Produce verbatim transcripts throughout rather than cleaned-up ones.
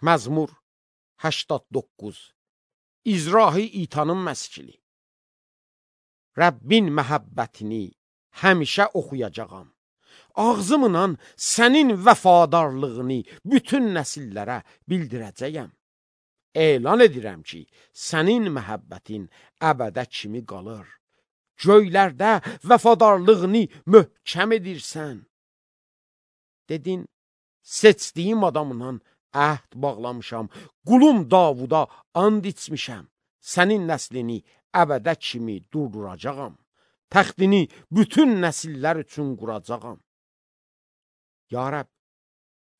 Məzmur həştad doqquz. İzrahi İtanın məskili. Rəbbin məhəbbətini həmişə oxuyacağam. Ağzımla sənin vəfadarlığını bütün nəsillərə bildirəcəyəm. Elan edirəm ki, sənin məhəbbətin əbədə kimi qalır. Göylərdə vəfadarlığını möhkəm edirsən. Dedin, seçdiyim adamla əhd bağlamışam, qulum Davuda and içmişəm. Sənin nəslini əbədə kimi durduracağam. Təxtini bütün nəsillər üçün quracağam. Ya Rəbb,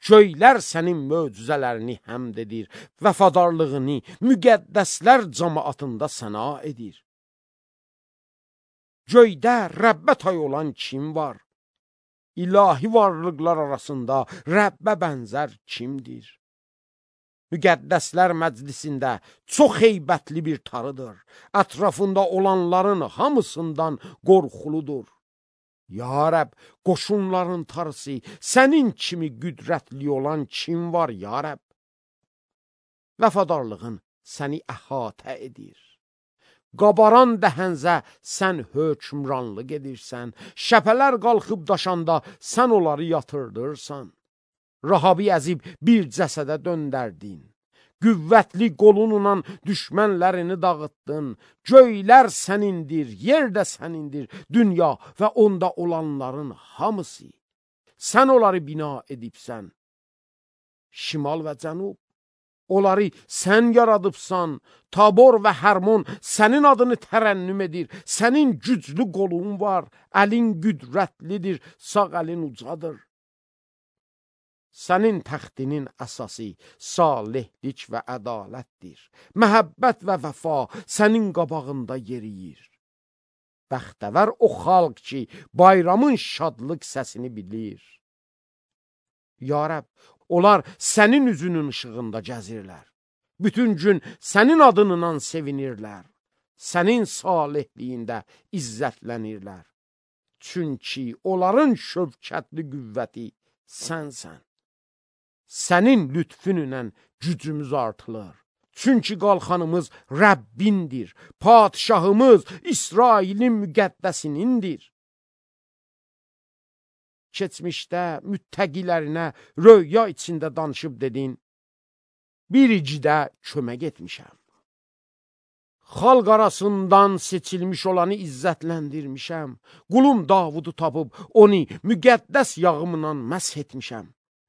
göylər sənin möcüzələrini həmd edir, vəfadarlığını müqəddəslər cəmaatında səna edir. Göydə Rəbbə tay olan kim var? İlahi varlıqlar arasında Rəbbə bənzər kimdir? Müqəddəslər məclisində çox heybətli bir tarıdır. Ətrafında olanların hamısından qorxuludur. Ya Rəbb, qoşunların tarısı, sənin kimi qüdrətli olan kim var, ya Rəbb? Vəfadarlığın səni əhatə edir. Qabaran dəhənzə sən hökmranlıq edirsən. Şəpələr qalxıb daşanda sən onları yatırdırsan. Rahabı əzib bir cəsədə döndərdin. Qüvvətli qolunla düşmənlərini dağıtdın. Göylər sənindir, yer də sənindir, dünya və onda olanların hamısı. Sən onları bina edibsən. Şimal və cənub, onları sən yaradıbsan. Tabor və Hərmon sənin adını tərənnüm edir. Sənin güclü qolun var, əlin qüdrətlidir, sağ əlin ucadır. Sənin təxtinin əsası salihlik və ədalətdir. Məhəbbət və vəfa sənin qabağında yeriyir. Bəxtəvər o xalq ki, bayramın şadlıq səsini bilir. Ya Rəbb, onlar sənin üzünün işığında gəzirlər. Bütün gün sənin adınla sevinirlər. Sənin salihliyində izzətlənirlər. Çünki onların şövkətli qüvvəti sənsən. Sənin lütfünlə gücümüz artılır. Çünki qalxanımız Rəbbindir. Padişahımız İsrailin müqəddəsinindir. Keçmişdə müttəqilərinə röya içində danışıb dedin, bir icidə kömək etmişəm. Xalq arasından seçilmiş olanı izzətləndirmişəm. Qulum Davudu tapıb onu müqəddəs yağımla məsh etmişəm.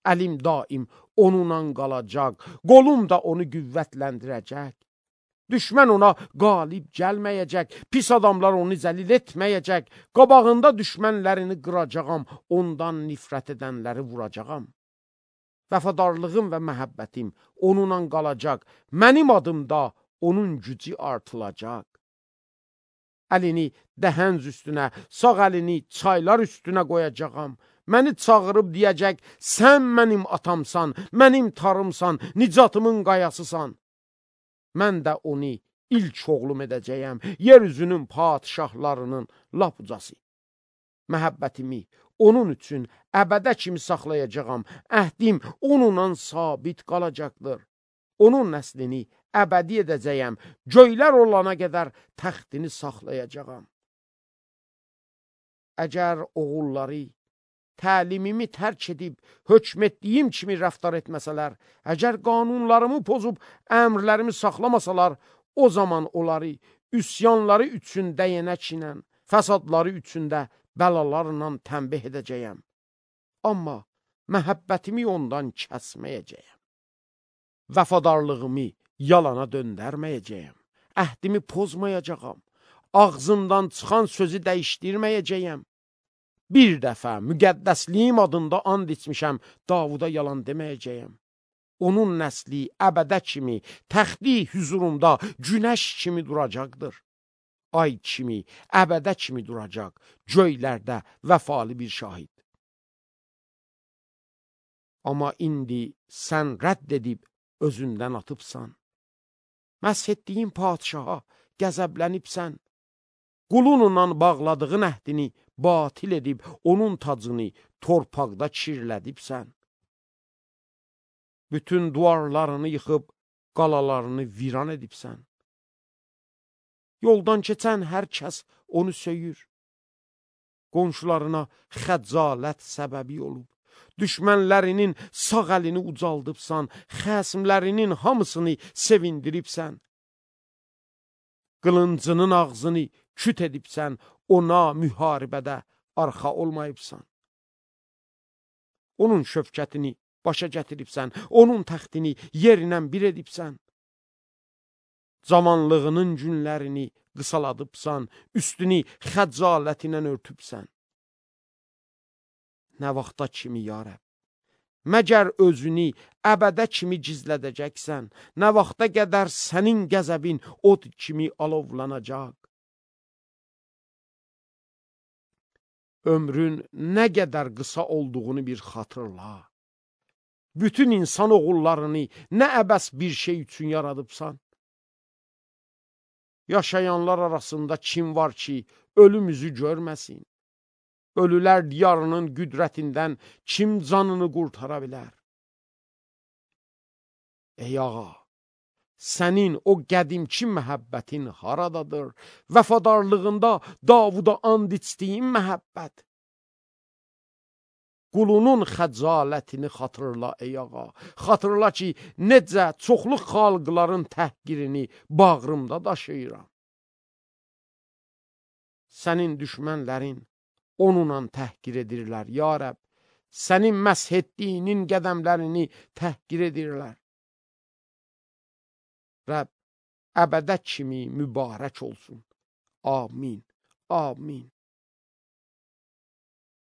Əlim daim onunla qalacaq, qolum da onu qüvvətləndirəcək. Düşmən ona qalib gəlməyəcək, pis adamlar onu zəlil etməyəcək. Qabağında düşmənlərini qıracağam, ondan nifrət edənləri vuracağam. Vəfadarlığım və məhəbbətim onunla qalacaq, mənim adımda onun gücü artılacaq. Əlini dəhənc üstünə, sağ əlini çaylar üstünə qoyacağam. Məni çağırıb deyəcək, sən mənim atamsan, mənim tarımsan, nicatımın qayasısan. Mən də onu ilk oğlum edəcəyəm, yeryüzünün padişahlarının lap ucası. Məhəbbətimi onun üçün əbədə kimi saxlayacağam, əhdim onunla sabit qalacaqdır. Onun nəslini əbədi edəcəyəm, göylər olana qədər təxtini saxlayacağam. Əgər oğulları təlimimi tərk edib, hökm etdiyim kimi rəftar etməsələr, əgər qanunlarımı pozub, əmrlərimi saxlamasalar, o zaman onları üsyanları üçün dəyənək ilə, fəsadları üçün də bəlalarla tənbih edəcəyəm. Amma məhəbbətimi ondan kəsməyəcəyəm. Vəfadarlığımı yalana döndərməyəcəyəm. Əhdimi pozmayacağam. Ağzımdan çıxan sözü dəyişdirməyəcəyəm. Bir dəfə müqəddəsliyim adında and içmişəm, Davuda yalan deməyəcəyəm. Onun nəsli əbədə kimi, təxti hüzurumda günəş kimi duracaqdır. Ay kimi, əbədə kimi duracaq, göylərdə vəfalı bir şahid. Amma indi sən rədd edib özündən atıbsan. Məsh etdiyin padişaha qəzəblənibsən. Qulunla bağladığın əhdini batil edib, onun tacını torpaqda kirlədibsən. Bütün duvarlarını yıxıb, qalalarını viran edibsən. Yoldan keçən hər kəs onu söyür. Qonşularına xəcalət səbəbi olub. Düşmənlərinin sağ əlini ucaldıbsan, xəsimlərinin hamısını sevindiribsən. Qılıncının ağzını küt edibsən, ona müharibədə arxa olmayıbsan. Onun şöfkətini başa gətiribsən, onun təxtini yerinə bir edibsən. Cavanlığının günlərini qısaladıbsan, üstünü xəcalətinə örtübsən. Nə vaxta kimi, ya Rəbb? Məgər özünü əbədə kimi gizlədəcəksən, nə vaxta qədər sənin qəzəbin od kimi alovlanacaq? Ömrün nə qədər qısa olduğunu bir xatırla. Bütün insan oğullarını nə əbəs bir şey üçün yaradıbsan? Yaşayanlar arasında kim var ki, ölümüzü görməsin? Ölülər diyarının qüdrətindən kim canını qurtara bilər? Ey ağa, sənin o qədimki məhəbbətin haradadır? Vəfadarlığında Davuda and içdiyin məhəbbət. Qulunun xəcalətini xatırla, ey ağa. Xatırla ki, necə çoxlu xalqların təhqirini bağrımda daşıyıram. Sənin düşmənlərin onunla təhqir edirlər, ya Rəbb. Sənin məsh etdiyinin qədəmlərini təhqir edirlər. Rəbb, əbədə kimi mübarək olsun. Amin, amin.